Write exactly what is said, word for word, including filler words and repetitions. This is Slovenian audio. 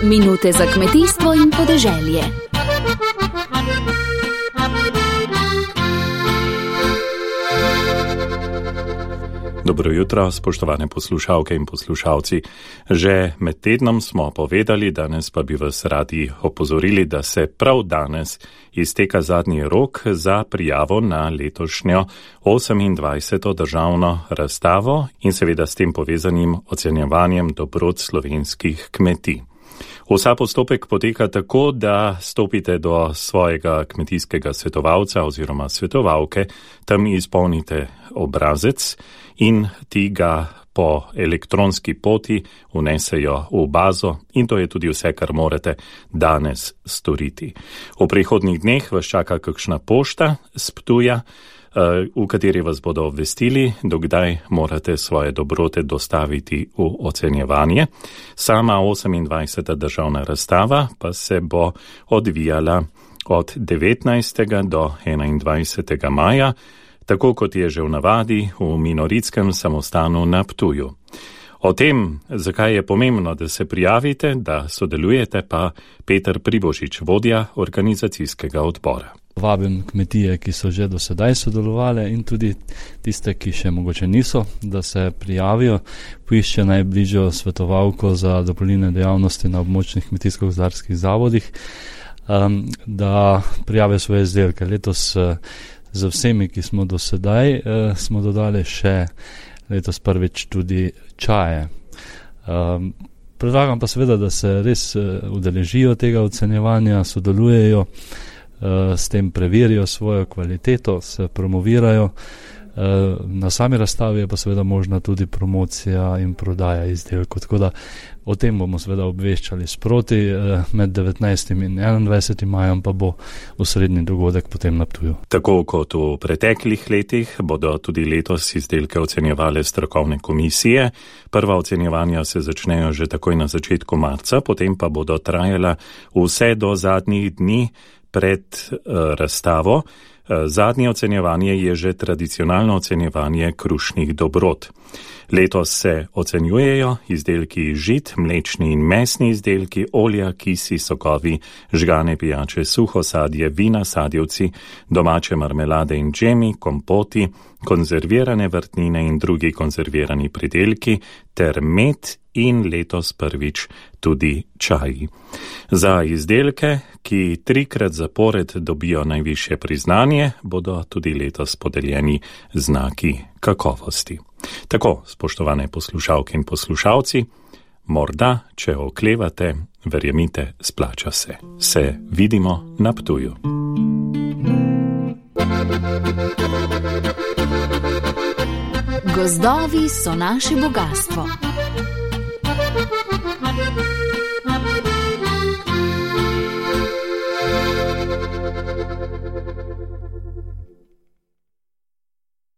Minute za kmetijstvo in podeželje. Dobro jutro, spoštovane poslušalke in poslušalci. Že med tednom smo povedali, danes pa bi vas radi opozorili, da se prav danes izteka zadnji rok za prijavo na letošnjo osemindvajseto državno razstavo in seveda s tem povezanim ocenjevanjem dobrot slovenskih kmetij. Vsa postopek poteka tako, da stopite do svojega kmetijskega svetovalca oziroma svetovalke, tam izpolnite obrazec in ti ga po elektronski poti vnesejo v bazo in to je tudi vse, kar morate danes storiti. V prihodnjih dneh vas čaka kakšna pošta s Ptuja, v kateri vas bodo obvestili, dokdaj morate svoje dobrote dostaviti v ocenjevanje. Sama osemindvajseta državna razstava pa se bo odvijala od devetnajstega do enaindvajsetega maja, tako kot je že v navadi v Minoritskem samostanu na Ptuju. O tem, zakaj je pomembno, da se prijavite, da sodelujete, pa Peter Pribošič, vodja organizacijskega odbora. Vabim kmetije, ki so že do sedaj sodelovali in tudi tiste, ki še mogoče niso, da se prijavijo, poišče najbližjo svetovalko za dopolnilne dejavnosti na območnih kmetijsko-gozdarskih zavodih, um, da prijavijo svoje izdelke. Letos uh, za vsemi, ki smo do sedaj, uh, smo dodali še letos prvič tudi čaje. Um, predlagam pa seveda, da se res uh, udeležijo tega ocenjevanja, sodelujejo, s tem preverijo svojo kvaliteto, se promovirajo. Na sami razstavi je pa seveda možna tudi promocija in prodaja izdelkov, tako da o tem bomo seveda obveščali sproti. Med devetnajstim in enaindvajsetim majem pa bo osrednji dogodek potem na Ptuju. Tako kot v preteklih letih bodo tudi letos izdelke ocenjevale strokovne komisije. Prva ocenjevanja se začnejo že takoj na začetku marca, potem pa bodo trajala vse do zadnjih dni pred uh, razstavo. Uh, zadnje ocenjevanje je že tradicionalno ocenjevanje krušnih dobrot. Letos se ocenjujejo izdelki žit, mlečni in mesni izdelki, olja, kisi, sokovi, žgane pijače, suho sadje, vina, sadjevci, domače marmelade in džemi, kompoti, konzervirane vrtnine in drugi konzervirani pridelki ter med in letos prvič tudi čaji. Za izdelke, ki trikrat zapored dobijo najvišje priznanje, bodo tudi letos podeljeni znaki kakovosti. Tako, spoštovane poslušalke in poslušalci, morda, če oklevate, verjemite, splača se. Se vidimo na Ptuju. Gozdovi so naše bogatstvo.